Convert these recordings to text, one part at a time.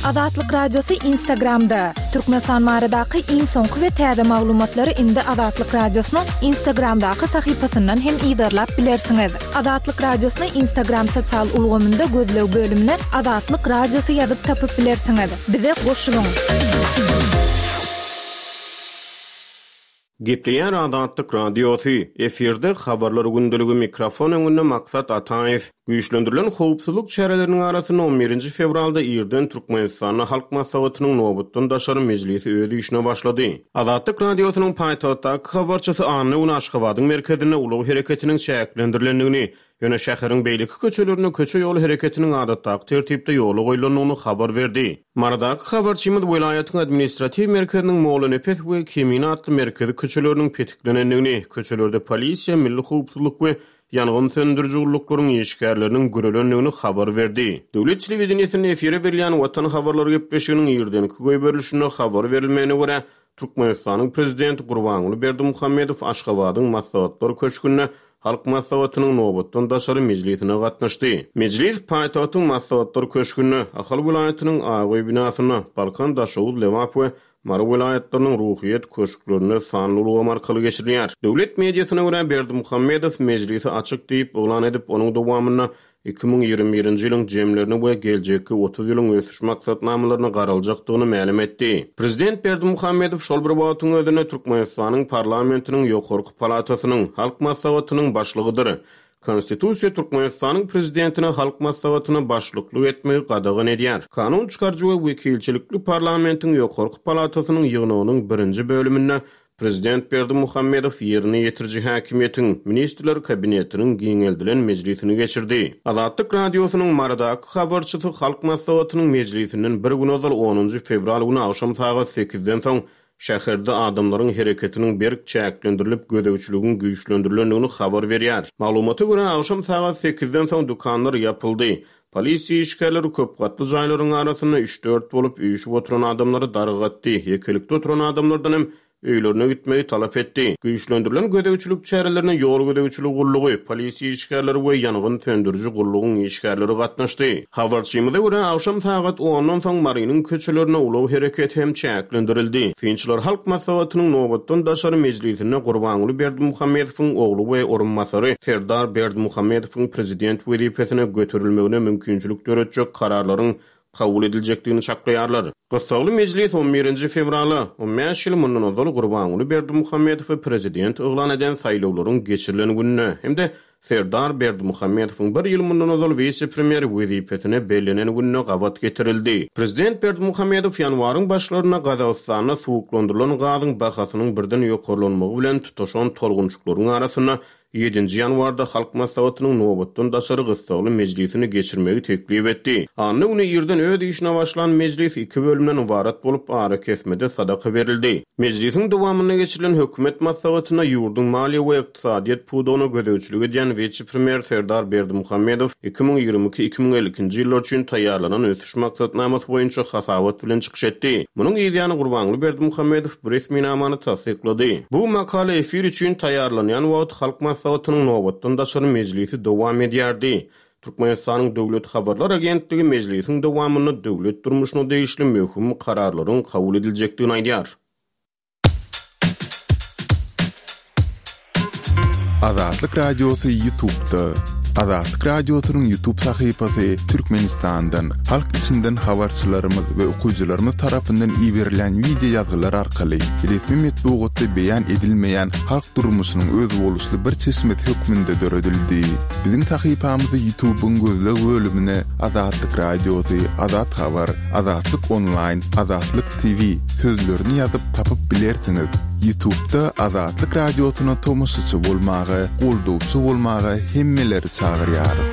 Azatlyk Radiosy Instagramda! Türkmenistan baradaky iň soňky we täze maglumatlary indi Azatlyk Radiosynyň Instagramdaky sahypasyndan hem yzarlap bilersiňiz. Azatlyk Radiosyny Instagram sosial ulgamynda gözleg bölümine Azatlyk Radiosy ýazyp tapyp bilersiňiz. Bize goşulyň! Gepleýär Azatlyk Radiosy, efirde Habarlar gündeligi mikrofon öňünde Maksat Ataýew. Güýçlendirilen howpsuzlyk çäreleriniň arasynda on birinji fewralda irden Türkmenistanda Halk Maslahatynyň nobatdan daşary mejlisi öz işine başlady. Azatlyk Radiosynyň paýtagtdaky habarçysy anna güni Aşgabadyň merkezinde ulag hereketiniň çäklendirilendigini, Ýöne şäheriň beýleki köçelerinde köçe-ýol hereketiniň adatdaky tertipde ýola goýlandygyny habar berdi. Marydaky habarçymyz welaýatyň administratiw merkeziniň Mollanepes we Kemine atly merkezi köçeleriniň petiklenendigini, köçelerde polisiýa, milli howpsuzlyk we ýangyn söndüriji gulluklaryň işgärleriniň görelendigini habar berdi. Döwlet telewideniýesinde efire berilýän Watan habarlary gepleşiginiň irdenki goýberilişinde habar berilmegine görä, Türkmenistanyň Prezidenti Gurbanguly Berdimuhamedow Aşgabadyň Maslahatlar köşgünde Halk Maslahatynyň nobatdan daşary mejlisine gatnaşdy. Mejlis paýtagtyň Maslahatlar köşgünde, Ahal welaýatynyň Ak öý binasynda, Balkan, Daşoguz, Lebap we Mary welaýatlarynyň Ruhyýet köşklerinde sanly ulgam arkaly geçirilýär. Döwlet mediasyna görä, Berdimuhamedow mejlisi açyk diýip yglan edip, onuň dowamynda 2021-nji ýylyň jemlerine we geljekki 30 ýylyň ösüş maksatnamalaryna garaljakdygyny mälim etdi. Prezident Berdimuhamedow şol bir wagtyň özünde Türkmenistanyň parlamentiniň ýokarky palatasynyň, Halk Maslahatynyň Başlygydyr. Konstitusiýa Türkmenistanyň Prezidentine Halk Maslahatyna başlyklyk etmegi gadagan edýär. Kanun çykaryjy we wekilçilikli parlamentiň ýokarky palatasynyň ýygnagynyň birinji bölüminde Prezident Berdimuhamedow ýerine ýetiriji häkimiýetiň, Ministrler Kabinetiniň giňeldilen mejlisini geçirdi. Azatlyk Radiosynyň Marydaky habarçysy Halk Maslahatynyň mejlisinden bir gün ozal onunjy fewral güni agşam sagat sekizden soň şäherde adamlaryň hereketiniň berk çäklendirilip, gözegçiligiň güýçlendirilendigini habar berýär. Maglumata görä, agşam sagat sekizden soň dükanlar ýapyldy. Polisiýa işgärleri köp gatly jaýlaryň arasynda üç-dört bolup üýşüp oturan adamlary dargatdy, ýekelikde oturan adamlardan hem öýlerine gitmegi talap etdi. Güýçlendirilen gözegçilik çärelerine ýol gözegçiligi gullugy, polisiýa işgärleri we ýangyn söndüriji gullugyň işgärleri gatnaşdy. Habarçymyza görä, agşam sagat ondan soň Marynyň köçelerinde ulag hereketi hem çäklendirildi. Synçylar Halk Maslahatynyň nobatdan daşary mejlisinde Gurbanguly Berdimuhamedowyň ogly we orunbasary Serdar Berdimuhamedowyň prezident wezipesine göterilmegine mümkinçilik döretjek kararlaryň kabul ediljekdigini çaklaýarlar. Gyssagly mejlis on birinji fewrala, on bäş ýyl mundan ozal Gurbanguly Berdimuhamedowy prezident yglan eden saýlawlaryň geçirilen gününe hem-de Serdar Berdimuhamedowyň bir ýyl mundan ozal wise-premýer wezipesine bellenen gününe gabat getirildi. Prezident Berdimuhamedow ýanwaryň başlarynda Gazagystanda suwuklandyrylan gazyň bahasynyň birden ýokarlanmagy bilen tutaşan tolgunçyklaryň arasynda Ýedinji ýanwarda Halk Maslahatynyň nobatdan daşary gyssagly mejlisini geçirmegi teklip etdi. Anna güni irden öz işine başlan mejlis iki bölümden ybarat bolup, arakesmede sadaka berildi. Mejlisiň dowamynda geçirilen hökümet maslahatynda ýurduň maliýe we ykdysadyýet pudagyna gözegçilik edýän wise-premýer Serdar Berdimuhamedow 2022, 2052-nji ýyllar üçin taýýarlanan ösüş maksatnamasy boýunça hasabat bilen çykyş etdi. Munuň yzýany Gurbanguly Berdimuhamedow bu resminamany tassyklady. Bu makala efir üçin taýýarlanýan wagty Halk Maslahatynyň nobatdan daşary mejlisi dowam edýärdi. Türkmenistanyň Döwlet habarlar agentligi mejlisiň dowamynda döwlet durmuşyna degişli möhüm kararlaryň kabul ediljekdigini aýdýar. Azatlyk Radiosy Ýutubda. Azatlyk Radiosynyň Ýutub sahypasy Türkmenistandan, halk içinden habarçylarymyz we okyjylarymyz tarapyndan iberilen wideo ýazgylar arkaly resmi metbugatda beýan edilmeýän halk durmuşynyň özboluşly bir çeşmesi hökmünde döredildi. Biziň sahypamyzy Ýutubyň gözleg bölümine Azatlyk Radiosy, Azat Habar, Azatlyk Onlaýn, Azatlyk TV sözlerini ýazyp tapyp bilersiňiz. Ýutubda Azatlyk Radiosyna tomaşaçy bolmaga, goldawçy bolmaga hemmeleri çagyrýarys.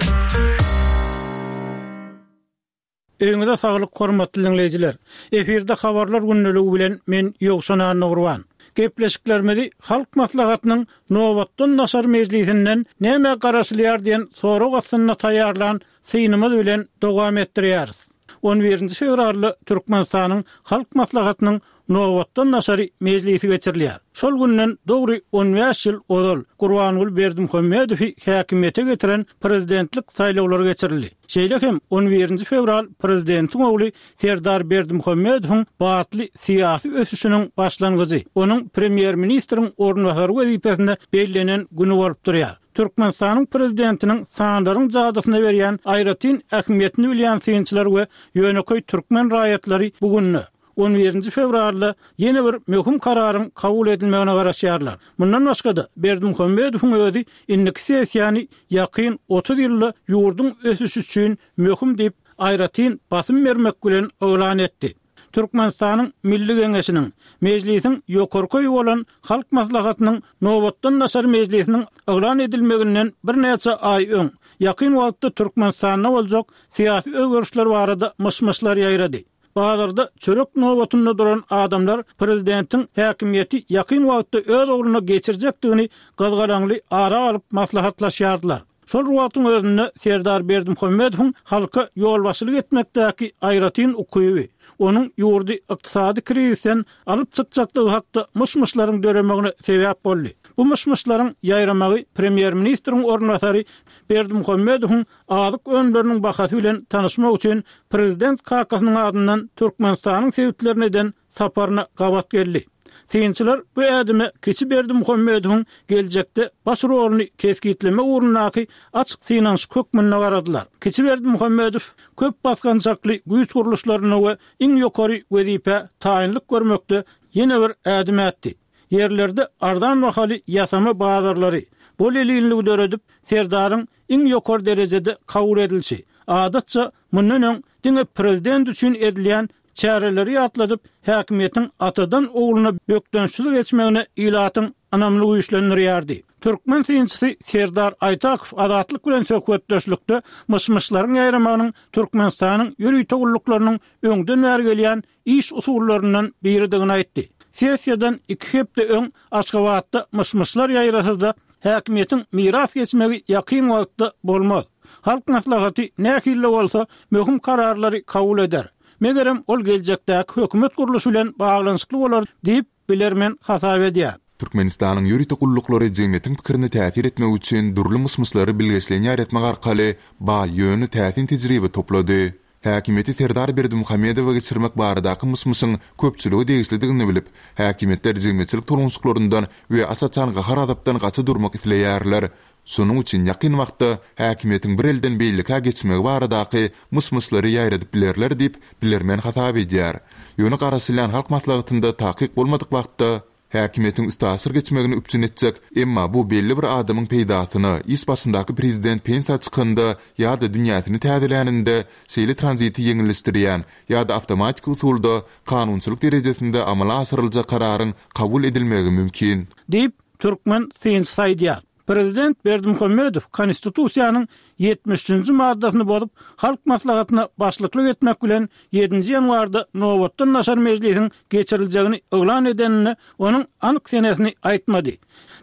Öýüňize saglyk hormatly diňleýjiler! Efirde Habarlar gündeligi bilen men Ýowşan Annagurban. Gepleşiklerimizi Halk Maslahatynyň nobatdan daşary mejlisinden nämä garaşylýar diýen sorag astynda taýýarlan synymyz bilen dowam etdirýäris. On birinji fewralda Türkmenistanyň Halk Maslahatynyň nobatdan daşary mejlisi geçirilýär. Şol günden dogry on bäş ýyl ozal Gurbanguly Berdimuhamedowy häkimiýete getiren prezidentlik saýlawlary geçirildi. Şeýle hem on birinji fewral prezidentiň ogly Serdar Berdimuhamedowyň batly syýasy ösüşiniň başlangyjy, onuň premýer-ministriň orunbasary wezipesine bellenen güni bolup durýar. Türkmenistanyň prezidentiniň sanlaryň jadysyna berýän aýratyn ähmiýetini bilýän synçylar we ýönekeý türkmen raýatlary bu günde, on birinji fewralda ýene bir möhüm kararyň kabul edilmegine garaşýarlar. Mundan başga-da, Berdimuhamedowyň özi indiki sessiýany ýakyn 30 ýylda ýurduň ösüşi üçin möhüm diýip, aýratyn basym bermek bilen yglan etdi. Türkmenistanyň Milli Geňeşiniň, Mejlisiň ýokarky öýi bolan Halk Maslahatynyň nobatdan daşary mejlisiniň yglan edilmeginden birnäçe aý öň, ýakyn wagtda Türkmenistanda boljak syýasy özgerişler barada myş-myşlar ýaýrady. Bazarda çörek nobatynda duran adamlar prezidentiň häkimiýeti ýakyn wagtda öz ogluna geçirjekdigini gyzgalaňly ara alyp maslahatlaşýardylar. Şol bir wagtyň özünde Serdar Berdimuhamedowyň halka ýolbaşçylyk etmekdäki aýratyn ukyby, onuň ýurdy ykdysady krizisden alyp çykjakdygy hakda myş-myşlaryň döremegine sebäp boldy. Bu myş-myşlaryň ýaýramagy premýer-ministriň orunbasary Berdimuhamedowyň azyk önümleriniň bahasy bilen tanyşmak üçin prezident kakasynyň adyndan Türkmenistanyň sebitlerine eden saparyna gabat geldi. Synçylar bu ädime kiçi Berdimuhamedowyň geljekde baş roluny kesgitlemek ugrundaky açyk synanyşyk hökmünde garadylar. Kiçi Berdimuhamedow köp basgançakly güýç gurluşlarynda we iň ýokary wezipä taýynlyk görmekde ýene bir ädim ätdi. Ýerlerde arzan bahaly ýasama bazarlary, bol-elinligi döredip, Serdaryň iň ýokary derejede kabul edilişi, adatça, mundan öň diňe prezident üçin edilýän çäreleri ýatladyp, häkimiýetiň atadan ogluna bökdençsiz geçmegine ilatyň ynamyny güýçlendirýärdi. Türkmen synçysy Serdar Aýtakow Azatlyk bilen söhbetdeşlikde myş-myşlaryň ýaýramagynyň Türkmenistanyň ýörite gulluklarynyň öňden bäri gelýän iş usullaryndan biridigini aýtdy. Sessiýadan iki hepde öň Aşgabatda myş-myşlar ýaýrasa-da, häkimiýetiň miras geçmegi ýakyn wagtda bolmaz. Halk Maslahaty nähili-de bolsa möhüm kararlary kabul eder. Megerem, ol geljekdäki hökümet gurluşy bilen baglanyşykly bolar diýip, bilermen hasap edýär. Türkmenistanyň ýörite gulluklary jemgyýetiň pikirine täsir etmek üçin dürli myş-myşlary bilgeşleýin ýaýratmak arkaly baý, ýöne täsin tejribe toplady. Häkimiýeti Serdar Berdimuhamedowa geçirmek baradaky myş-myşyň köpçülige degişlidigini bilip, häkimiýetler jemgyýetçilik tolgunyşyklaryndan we aç-açan gahar-gazapdan gaça durmak isleýärler. Şonuň üçin ýakyn wagtda häkimiýetiň bir elden beýlekä geçmegi baradaky myş-myşlary ýaýradyp bilerler diýip, bilermen hasap edýär. Ýöne garaşylýan Halk Maslahatynda takyk bolmadyk wagtda, Häkimiýetiň üstaşyr geçmegini üpjün etjek, emma bu belli bir adamyň peýdasyna, iş başyndaky prezident pensiýa çykanda ýa-da dünýäsini täzeläninde şeýle tranziti ýeňilleşdirýän ýa-da awtomatiki usulda kanunçylyk derejesinde amala aşyryljak kararyň kabul edilmegi mümkin. Diýip, türkmen synçysy aýdýar. Prezident Berdimuhamedow Konstitusiýanyň 73 üçünji maddasyny bozup, Halk Maslahatyna başlyklyk etmek bilen, ýedinji ýanwarda nobatdan daşary mejlisiň geçiriljegini yglan edeninde onuň anyk senesini aýtmady.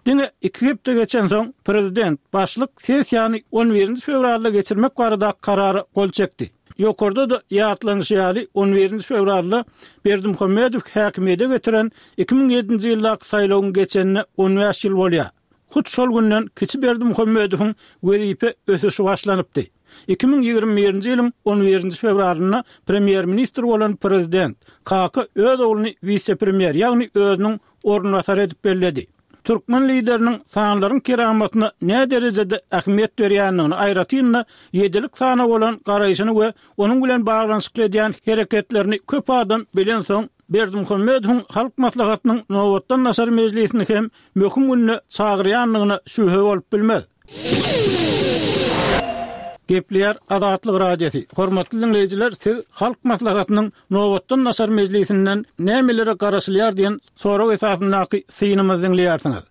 Diňe iki hepde geçensoň, prezident başlyk sessiýany on birinji fewralda geçirmek baradaky karara gol çekdi. Ýokarda-da ýatlanyşy ýaly, on birinji fewralda Berdimuhamedow häkimiýete getiren 2007-nji ýyldaky saýlawyň geçenine on bäş ýyl bolýar. Hut şol günden kiçi Berdimuhamedowyň wezipe ösüşi başlanypdy. 2021-nji ýylyň on birinji fewralynda premýer-ministr bolan prezident Kaka öz ogluny wise-premýer, ýagny özüniň orunbasary edip belledi. Türkmen lideriniň sanlaryň keramatyna näderejede ähmiýet berýändigini, aýratyn-da, ýedilik sana bolan garaýşyny we onuň bilen baglanyşykly edýän hereketlerini köp adam bilensoň, Berdimuhamedowyň Halk Maslahatynyň nobatdan daşary mejlisini hem möhüm günde çagyrýandygyna şübhe bolup bilmez. Gepleýär Azatlyk Radiosy, Hormatly diňleýjiler, siz Halk Maslahatynyň nobatdan daşary mejlisinden nämelere garaşylýar diýen sorag esasyndaky synymyzy diňleýärsiňiz.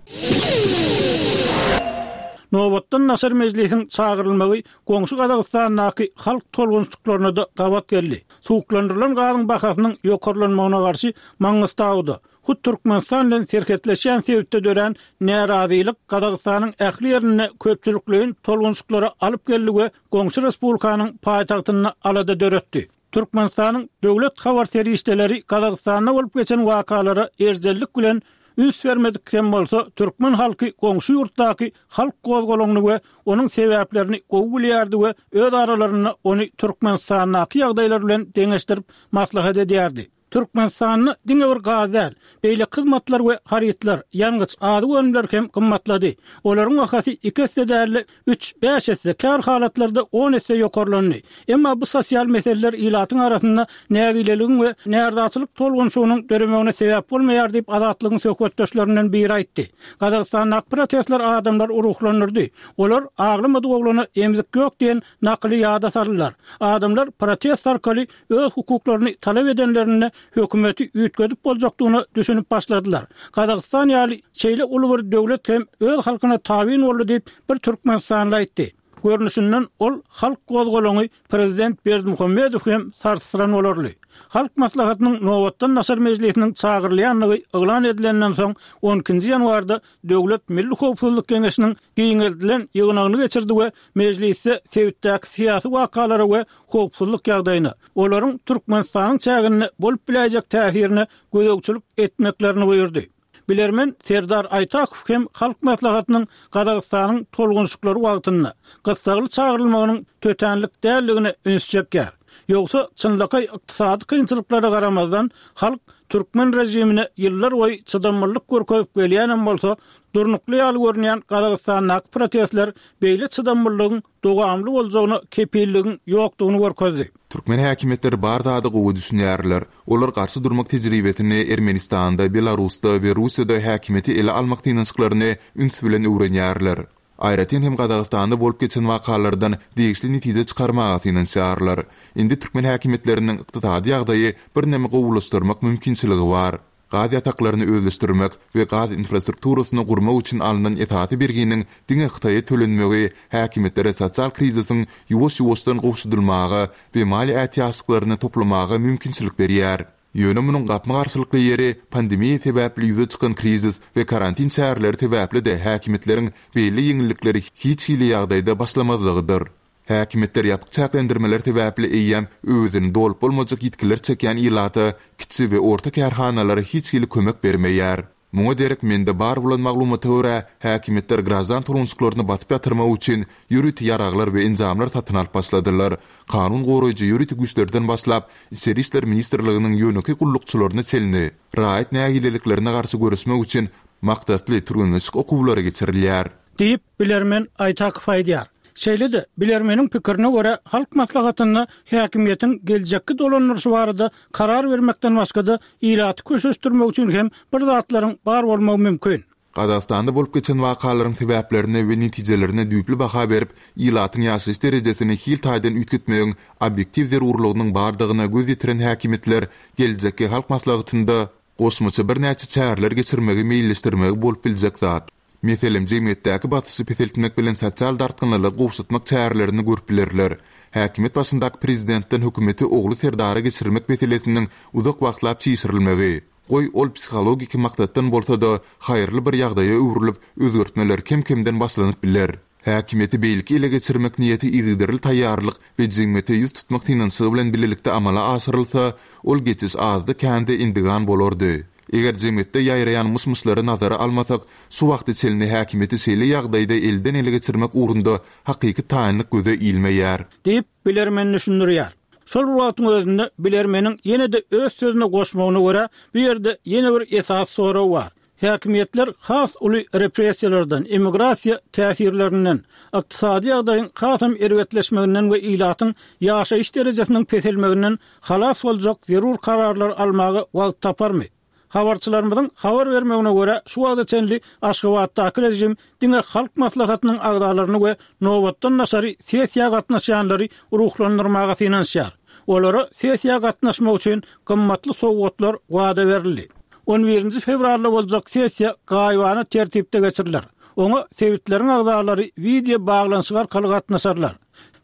Nobatdan daşary mejlisiň çagyrylmagy goňşy Gazagystandaky halk tolgunyşyklaryna-da gabat geldi. Suwuklandyrylan gazyň bahasynyň ýokarlanmagyna garşy Maňňystauda, hut Türkmenistan bilen serhetleşýän sebitde dörän närazylyk Gazagystanyň ähli ýerinde köpçülikleýin tolgunyşyklara alyp geldi we goňşy respublikanyň paýtagtynda alada döretdi. Türkmenistanyň döwlet habar serişdeleri Gazagystanda bolup geçen wakalara erjellik bilen üns bermedik hem bolsa, türkmen halky goňşy ýurtdaky halk gozgalaňyny we onuň sebäplerini gowy bilýärdi we öz aralarynda ony Türkmenistandaky ýagdaýlar bilen deňeşdirip maslahat edýärdi. Türkmenistanda diňe bir gaz däl, beýleki hyzmatlar we harytlar, ýangyç, azyk önümleri hem gymmatlady. Olaryň bahasy iki esse däl-de, üç, bäş esse, käbir halatlarda on esse ýokarlandy. Emma bu sosial meseleler ilatyň arasynda nägileligiň we närazyçylyk tolgunyşygynyň döremegine sebäp bolmaýar diýip, Azatlygyň söhbetdeşlerinden biri aýtdy. Gazagystandaky protestler adamlary ruhlandyrdy. Olar aglamadyk oglana emzik ýok diýen nakyly ýada saldylar. Adamlar protest arkaly öz hukuklaryny talap edenlerinde hökümeti üýtgedip boljakdygyna düşünip başladylar. Gazagystan ýaly şeýle uly bir döwlet hem öz halkyna tabyn boldy diýip, bir türkmenistanly aýtdy. Görnüşinden, ol halk gozgalaňy prezident Berdimuhamedowy hem sarsdyran bolarly. Halk Maslahatynyň nobatdan daşary mejlisiniň çagyrylýandygy yglan edilenden soň, on ikinji ýanwarda Döwlet milli howpsuzlyk geňeşiniň giňeldilen ýygnagyny geçirdi we mejlisde sebitdäki syýasy wakalara we howpsuzlyk ýagdaýyna, olaryň Türkmenistanyň çäginde bolup biläýjek täsirine gözegçilik etmeklerini buýurdy. Bilermen Serdar Aýtakow hem Halk Maslahatynyň Gazagystanyň tolgunyşyklary wagtynda gyssagly çagyrylmagynyň tötänlik däldigine üns çekýär. Ýogsa, çynlakaý ykdysady kynçylyklara garamazdan, halk türkmen režimine ýyllar boýy çydamlylyk görkezip gelýänem bolsa, durnukly ýaly görünýän Gazagystandaky protestler beýle çydamlylygyň dowamly boljagyna kepilligiň ýokdugyny görkezdi. Türkmen häkimiýetleri bar zada gowy düşünýärler. Olar garşy durmak tejribesini Ermenistanda, Belarusda we Russiýada häkimiýeti ele almak synanyşyklaryny üns bilen öwrenýärler. Aýratyn hem Gazagystanda bolup geçen wakalardan degişli netije çykarmaga synanyşýarlar. Indi türkmen häkimiýetleriniň ykdysady ýagdaýy birneme gowulaşdyrmak mümkinçiligi bar. Gaz ýataklaryny özleşdirmek we gaz infrastrukturasyny gurmak üçin alnan esasy berginiň diňe Hytaýa tölenmegi häkimiýetlere sosial krizisiň ýuwaş-ýuwaşdan gowşadylmaga we maliýe ätiýaçlyklaryny toplamaga mümkinçilik berýär. Ýöne munuň gapma-garşylykly ýeri, pandemiýa sebäpli ýüze çykan krizis we karantin çäreleri sebäpli-de häkimiýetleriň beýle ýeňillikleri hiç hili ýagdaýda başlamazlygydyr. Häkimiýetler ýapyk çäklendirmeler sebäpli eýýäm öwezini dolup bolmajak ýitgiler çekýän ilata, kiçi we orta kärhanalara hiç hili kömek bermeýär. Muňa derek mende bar bolan maglumata görä, häkimiýetler graždan tolgunşyklaryny basyp ýatyrmak üçin ýörite ýaraglar we enjamlar satyn alyp başladylar. Kanun goraýjy ýörite güýçlerden başlap, Içeri işler ministrliginiň ýönekeý gullukçylaryna çenli raýat nägileliklerine garşy göreşmek üçin maksatly türgenleşik okuwlary geçirilýär. Diýip, bilermen Aýtakow aýdýar. Şeýle-de, bilermeniň pikirine görä, Halk Maslahatynda häkimiýetiň geljekki dolandyryşy barada karar bermekden başga-da, ilaty köşeşdirmek üçin hem bir zatlaryň bar bolmagy mümkin. Gazagystanda bolup geçen wakalaryň sebäplerine we netijelerine düýpli baha berip, ilatyň ýaşaýyş derejesini hil taýdan üýtgetmegiň obýektiw zerurlygynyň bardygyna göz ýetiren häkimiýetler geljekki Halk Maslahatynda goşmaça birnäçe çäreler geçirmegi meýilleşdirmegi bolup biljek zat. Meselem, jemgyýetdäki basyşy peseltmek bilen sosial dartgynlylygy gowşatmak çärelerini görüp bilerler. Häkimiýet başyndaky prezidentden hökümeti ogly Serdara geçirmek meselesiniň uzak wagtlap çişirilmegi, goý, ol psihologiki maksatdan bolsa-da, haýyrly bir ýagdaýa öwrülip, özgertmeler kem-kemden başlanyp biler. Häkimiýeti beýleki ele geçirmek niýeti yzygiderli taýýarlyk we jemgyýete ýüz tutmak synanyşygy bilen bilelikde amala aşyrylsa, ol geçiş azda-kände endigan bolardy. Eger jemgyýetde ýaýraýan myş-myşlary nazara almasak, şu wagta çenli häkimiýeti şeýle ýagdaýda elden-ele geçirmek ugrunda hakyky taýynlyk göze ilmeýär. Diýip, bilermen düşündirýär. Şol bir wagtyň özünde, bilermeniň ýene-de öz sözüne goşmagyna görä, bu ýerde ýene bir esasy sorag bar. Häkimiýetler has uly repressiýalardan, emigrasiýa täsirlerinden, ykdysady ýagdaýyň hasam erbetleşmeginden we ilatyň ýaşaýyş derejesiniň peselmeginden halas boljak zerur kararlary almaga wagt taparmy? Habarçylarymyzyň habar bermegine görä, şu wagta çenli Aşgabatdaky režim diňe Halk Maslahatynyň agzalaryny we nobatdan daşary sessiýa gatnaşýanlary ruhlandyrmaga synanyşýar. Olara sessiýa gatnaşmak üçin gymmatly sowgatlar wada berildi. On birinji fewralda boljak sessiýa gaýybana tertipde geçiriler. Oňa sebitleriň agzalary wideo baglanyşyk arkaly gatnaşarlar.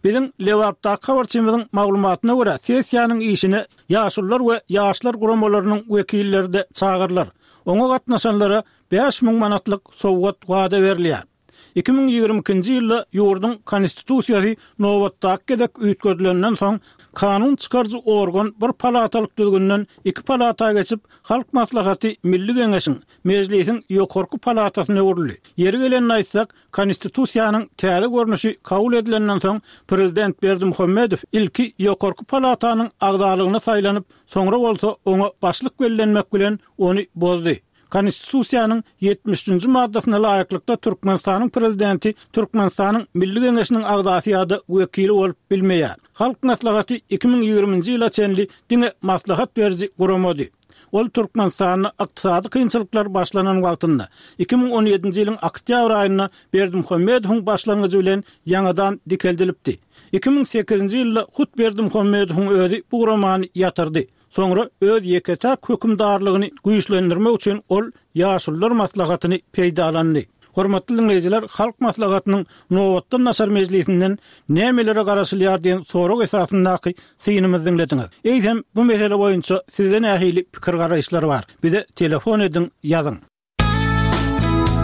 Biziň Lebapdaky habarçymyzyň maglumatyna görä, sessiýanyň işine Ýaşulular we ýaşlar guramalarynyň wekilleri-de çagyrylar. Oňa gatnaşanlara 5000 manatlyk sowgat wada berilýär. 2022-nji ýylda ýurduň Konstitusiýasy nobatdaky gezek üýtgedilenden soň, Kanun çykaryjy organ bir palatalyk düzgünden iki palata geçip, Halk Maslahaty Milli Geňeşiň, Mejlisiň ýokarky palatasyna öwrüldi. Ýeri gelende aýtsak, Konstitusiýanyň täze görnüşi kabul edilenden soň, prezident Berdimuhamedow ilki ýokarky palatanyň agzalygyna saýlanyp, soňra bolsa oňa başlyk bellenmek bilen ony bozdy. Konstitusiýanyň 73 nji maddasyna laýyklykda Türkmenistanyň Prezidenti Türkmenistanyň Milli Geňeşiniň agzasy ýa-da wekili bolup bilmeýär. Halk Maslahaty 2020-nji ýyla çenli diňe maslahat beriji guramady. Ol Türkmenistanda ykdysady kynçylyklar başlanan wagtynda, 2017-nji ýylyň oktýabr aýynda Berdimuhamedowyň başlangyjy bilen ýaňadan dikeldilipdi. 2008-nji ýylda hut Berdimuhamedowyň özi bu guramany ýatyrdy. Soňra öz ýeke-täk hökümdarlygyny güýçlendirmek üçin ol Ýaşulular maslahatyny peýdalandy. Hormatly diňleýjiler, Halk Maslahatynyň nobatdan daşary mejlisinden nämelere garaşylýar diýen sorag esasyndaky synymyzy diňlediňiz. Eýsem, bu mesele boýunça sizde nähili pikir-garaýyşlar bar? Bize telefon ediň, ýazyň.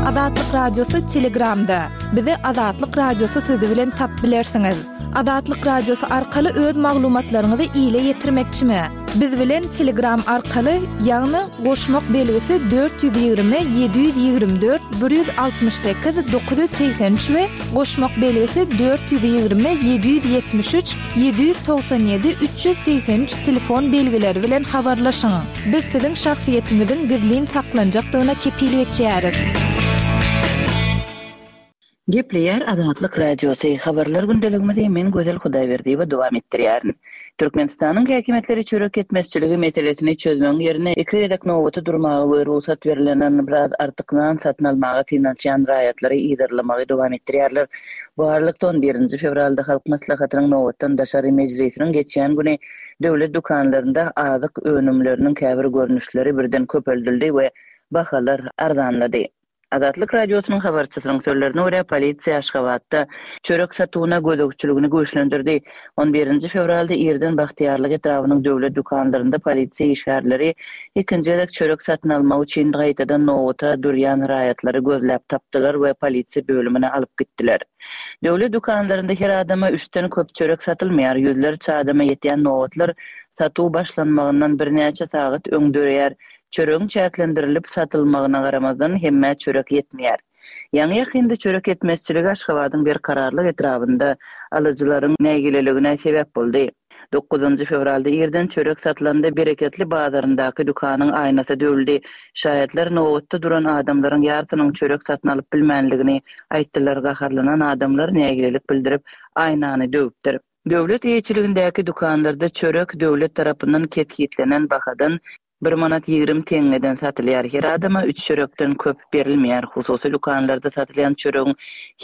Azatlyk Radiosy Telegramda. Bizi Azatlyk Radiosy sözi bilen tap bilersiňiz. Azatlyk Radiosy arkaly öz maglumatlaryňyzy ile ýetirmekçimi? Biz bilen Telegram arkaly, ýagny goşmak belgisi 420 724 168 983 we goşmak belgisi 420 773 797 383 telefon belgileri bilen habarlaşyň. Biz siziň şahsyýetiňiziň gizlin saklanjakdygyna kepil geçýäris. Gepleýär Azatlyk Radiosy, Habarlar gündeligimizi men Gözel Hudaýberdiýewa dowam etdirýärin. Türkmenistanyň häkimiýetleri çörek ýetmezçiligi meselesini çözmegiň ýerine iki gezek nobata durmaga we rugsat berlenden biraz artyk nan satyn almaga synanyşýan raýatlary yzarlamagy dowam etdirýärler. Bu aralykda, on birinji fewralda Halk Maslahatynyň nobatdan daşary mejlisiniň geçýän güni Döwlet dükanlarynda azyk önümleriniň käbir görnüşleri birden köpeldildi we bahalar arzanlady. Azatlyk Radiosynyň habarçysynyň sözlerine görä, polisiýa Aşgabatda çörek satuwyna gözegçiligini güýçlendirdi. On birinji fewralda irden Bagtyýarlyk etrabynyň döwlet dükanlarynda polisiýa işgärleri ikinji gezek çörek satyn almak üçin gaýtadan nobata durýan raýatlary gözläp tapdylar we polisiýa bölümine alyp gitdiler. Döwlet dükanlarynda her adama üçden köp çörek satylmaýar, ýüzlerçe adama ýetýän nobatlar satuw başlanmagyndan birnäçe sagat öň döreýär. Çöregiň çäklendirilip satylmagyna garamazdan, hemmä çörek ýetmeýär. Ýaňy-ýakynda çörek ýetmezçiligi Aşgabadyň Berkararlyk etrabynda alyjylaryň nägileligine sebäp boldy. Dokuzynjy fewralda irden çörek satylanda Bereketli bazaryndaky dükanyň aýnasy döwüldi. Şaýatlar nobatda duran adamlaryň ýarsynyň çörek satyn alyp bilmänligini aýtdylar. Gaharlanan adamlar nägilelik bildirip, aýnany döwüpdir. Döwlet eýeçiligindäki dükanlarda çörek döwlet tarapyndan kesgitlenen bahadan Bir manat 20 teňňeden satylýar. Her adama üç çörekden köp berilmeýär. Hususy dükanlarda satylýan çöregiň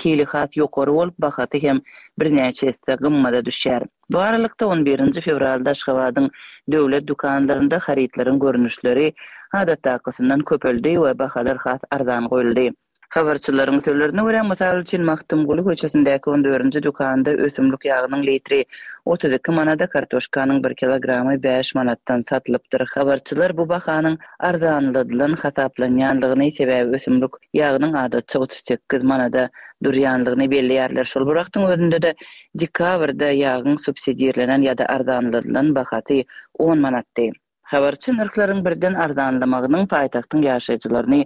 hili has ýokary bolup, bahasy hem birnäçe esse gymmada düşýär. Bu aralykda, on birinji fewralda Aşgabadyň döwlet dükanlarynda harytlaryň görnüşleri adatdakysyndan köpeldi we bahalar has arzan goýuldy. Habarçylaryň sözlerine görä, mysal üçin, Magtymguly köçesindäki on dördünji dükanda ösümlik ýagynyň litri 32 manada, kartoşkanyň bir kilogramy bäş manatdan satylypdyr. Habarçylar bu bahanyň arzanladylan hasaplanýandygyny, sebäbi ösümlik ýagynyň adatça 38 manada durýandygyny belleýärler. Şol bir wagtyň özünde-de, dekabrda ýagyň subsidirlenen ýa-da arzanladylan bahasy on manatdy. Habarçy nyrhlaryň birden arzanlamagynyň paýtagtyň ýaşaýjylaryny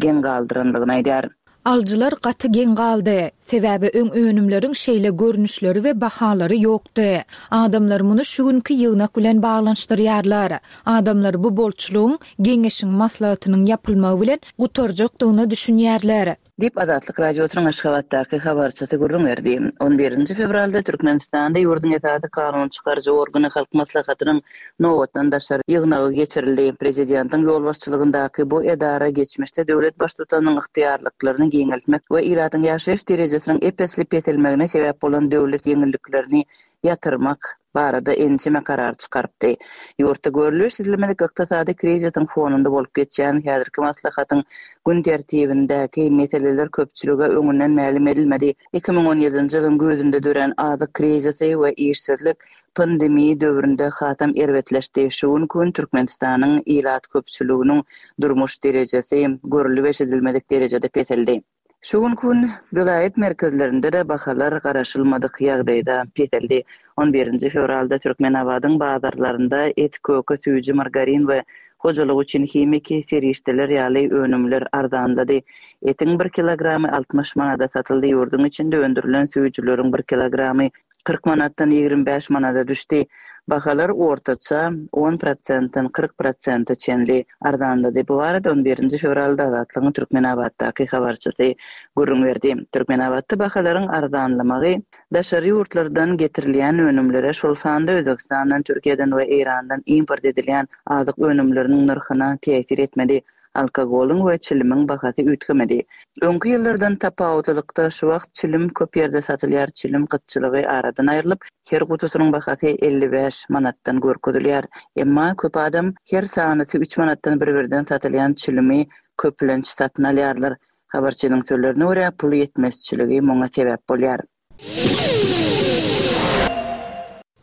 geň galdyrandygyny aýdýar. Alyjylar gaty geň galdy. Sebäbi öň önümleriň şeýle görnüşleri we bahalary ýokdy. Adamlar muny şu günki ýygnak bilen baglanyşdyrýarlar. Adamlar bu bolçulygyň Geňeşiň maslahatynyň ýapylmagy bilen gutarjakdygyna düşünýärler. Diýip, Azatlyk Radiosynyň Aşgabatdaky habarçysy gürrüň berdi. On birinji fewralda Türkmenistanda ýurduň esasy kanun çykaryjy organy Halk Maslahatynyň nobatdan daşary ýygnagy geçirildi. Prezidentiň ýolbaşçylygyndaky bu edara geçmişde döwlet Baştutanynyň ygtyýarlyklaryny giňeltmek we ilatyň ýaşaýyş derejesiniň ep-esli peselmegine sebäp bolan döwlet ýeňilliklerini ýatyrmak barada ençeme karar çykarypdy. Ýurtda görlüp-eşidilmedik ykdysady krizisiň fonunda bolup geçýän häzirki maslahatyň gün tertibindäki meseleler köpçülige öňünden mälim edilmedi. 2017-nji ýylyň güýzünde dörän azyk krizisi we işsizlik pandemiýa döwründe hasam erbetleşdi. Şu günki gün Türkmenistanyň ilat köpçüliginiň durmuş derejesi görlüp-eşidilmedik derejede peseldi. Şu günki gün welaýat merkezlerinde-de bahalar garaşylmadyk ýagdaýda peseldi. On birinji fewralda Türkmenabadyň bazarlarynda et, köke, süýji, margarin we hojalyk üçin himiki serişdeler ýaly önümler arzanlady. Etiň bir kilogramy 60 manada satyldy, ýurduň içinde öndürilen süýjüleriň bir kilogramy 40 manatdan 25 manada düşdi. Bahalar ortaça on prosentden 40 prosente çenli arzanlady. Bu barada on birinji fewralda Azatlygyň Türkmenabatdaky habarçysy gürrüň berdi. Türkmenabatda bahalaryň arzanlamagy Daşary ýurtlardan getirilýän önümlere, şol sanda Özbegistandan, Türkiýeden we Eýrandan import edilýän azyk önümleriniň nyrhyna täsir etmedi. Alkogolyň we çilimiň bahasy üýtgemedi. Öňki ýyllardan tapawutlylykda, şu wagt çilim köp ýerde satylýar, çilim gytçylygy aradan aýrylyp, her gutusynyň bahasy 55 manatdan görkezilýär. Emma köp adam her sanysy üç manatdan bir-birden satylýan çilimi köplenç satyn alýarlar. Habarçynyň sözlerine görä, pul ýetmezçiligi muňa sebäp bolýar.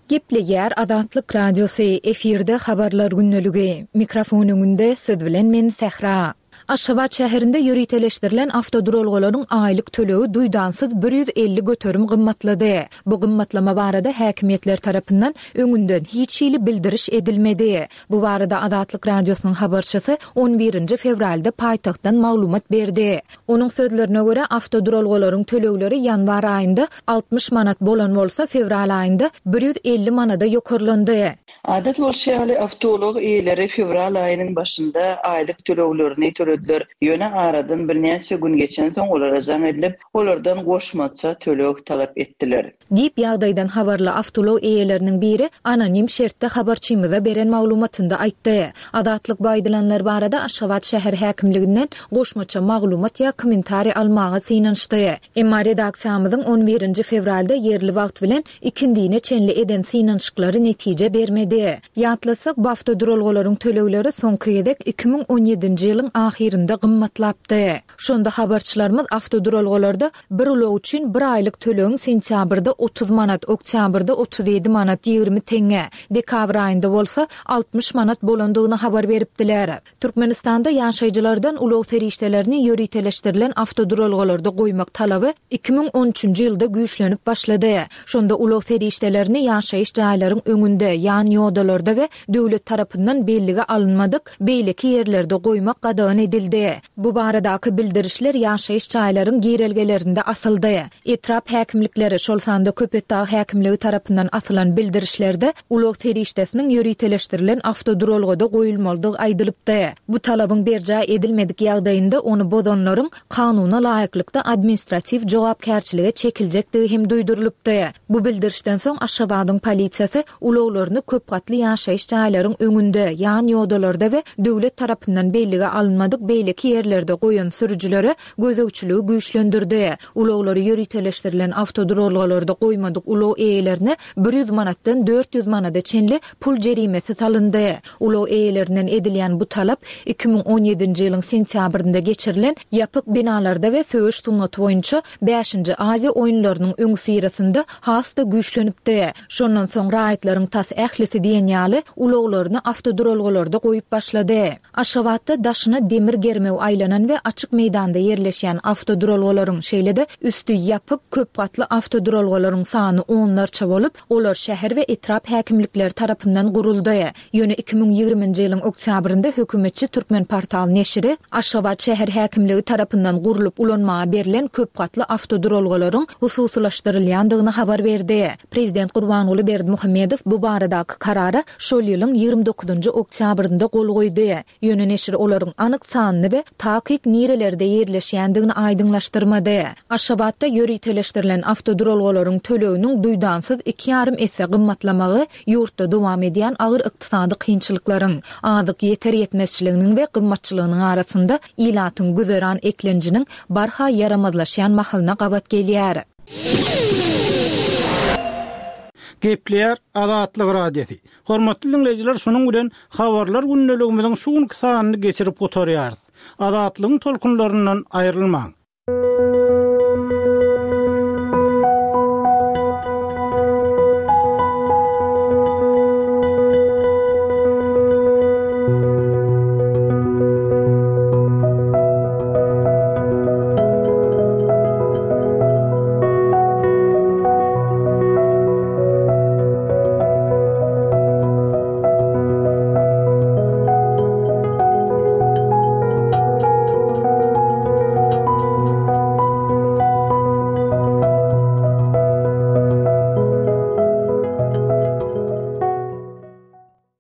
Gepleýär Azatlyk Radiosy, efirde Habarlar gündeligi. Mikrofon öňünde siz bilen men Sähra. Aşgabat şäherinde ýöriteleşdirilen awtoduralgalaryň aýlyk tölegi duýdansyz 150 göterim gymmatlady. Bu gymmatlama barada häkimiýetler tarapyndan öňünden hiç hili bildiriş edilmedi. Bu barada Azatlyk Radiosynyň habarçysy on birinji fewralda paýtagtdan maglumat berdi. Onuň sözlerine görä, awtoduralgalaryň tölegleri ýanwar aýynda 60 manat bolan bolsa, fewral aýynda 150 manada ýokarlandy. Adat bolşy ýaly, awtoulag eýeleri fewral aýynyň başynda aýlyk töleglerini tölediler. Ýöne aradan birnäçe gün geçensoň olara jaň edilip, olardan goşmaça töleg talap etdiler. Diýip, ýagdaýdan habarly awtoulag eýeleriniň biri anonim şertde habarçymyza beren maglumatynda aýtdy. Azatlyk bu aýdylanlar barada Aşgabat şäher häkimliginden goşmaça maglumat ýa kommentariý almaga synanyşdy. Emma redaksiýamyzyň on birinji fewralda ýerli wagt bilen ikindine çenli eden synanyşyklary netije bermedi. Ýatlatsak, bu awtoduralgalaryň tölegleri soňky gezek 2017-nji ýylyň ahyrynda gymmatlapdy. Şonda habarçylarymyz awtoduralgalarda bir ulag üçin bir aýlyk tölegiň sentýabrda 30 manat, oktýabrda 37 manat 20 teňňe, dekabr aýynda bolsa 60 manat bolandygyny habar beripdiler. Türkmenistanda ýaşaýjylardan ulag serişdelerini ýöriteleşdirilen awtoduralgalarda goýmak talaby 2013-nji ýylda güýçlenip başlady. Şonda ulag serişdelerini ýaşaýyş jaýlaryň öňünde, ýan ýodalarda we döwlet tarapyndan bellige alynmadyk beýleki ýerlerde goýmak gadagan edildi. Bu baradaky bildirişler ýaşaýyş jaýlaryň girelgelerinde asyldy. Etrap häkimlikleri, şol sanda Köpetdag häkimligi tarapyndan asylan bildirişlerde ulag serişdesiniň ýöriteleşdirilen awtoduralgada goýulmalydygy aýdylypdy. Bu talabyň berjaý edilmedik ýagdaýynda ony bozanlaryň kanuna laýyklykda administratiw jogapkärçilige çekiljekdigi hem duýdurylypdy. Bu bildirişden soň Aşgabadyň polisiýasy ulaglaryny köp gatly ýaşaýyş jaýlaryň öňünde, ýan ýodalarda we döwlet tarapyndan bellige alynmadyk beýleki ýerlerde goýan sürüjilere gözegçiligi güýçlendirdi. Ulaglary ýöriteleşdirilen awtoduralgalarda goýmadyk ulag eýelerine 100 manatdan 400 manada çenli pul jerimesi salyndy. Ulag eýelerinden edilýän bu talap 2017-nji ýylyň sentýabrynda geçirilen ýapyk binalarda we söweş sungaty boýunça bäşinji Aziýa oýunlarynyň öňüsyrasynda has-da güýçlenipdi. Şondan soň raýatlaryň tas ählisi diýen ýaly ulaglaryny awtoduralgalarda goýup başlady. Aşgabatda daşyna demir germew aýlanan we açyk meýdanda ýerleşýän awtoduralgalaryň, şeýle-de üsti ýapyk, köp gatly awtoduralgalaryň sany onlarça bolup, olar şäher we etrap häkimlikleri tarapyndan guruldy. Ýöne 2020-nji ýylyň oktýabrynda hökümetçi Türkmenportal neşiri Aşgabat şäher häkimligi tarapyndan gurlup ulanmaga berlen köp gatly awtoduralgalaryň hususylaşdyrylýandygyny habar berdi. Prezident Gurbanguly Berdimuhamedow bu baradaky karara şol ýylyň ýigrimi dokuzynjy oktýabrynda gol goýdy. Ýöne neşir olaryň anyk sanyny we takyk nirelerde ýerleşýändigini aýdyňlaşdyrmady. Aşgabatda ýöriteleşdirilen awtoduralgalaryň töleginiň duýdansyz iki ýarym esse gymmatlamagy ýurtda dowam edýän agyr ykdysady kynçylyklaryň, azyk ýeter-ýetmezçiliginiň we gymmatçylygynyň arasynda ilatyň güzeran eklenjiniň barha ýaramazlaşýan mahalyna gabat gelýär. Gepleýär Azatlyk Radiosy. Hormatly diňleýjiler şunuň bilen Habarlar gündeligimiziň şu günki sanyny geçirip gutarýarys. Azatlygyň tolkunlaryndan aýrylmaň.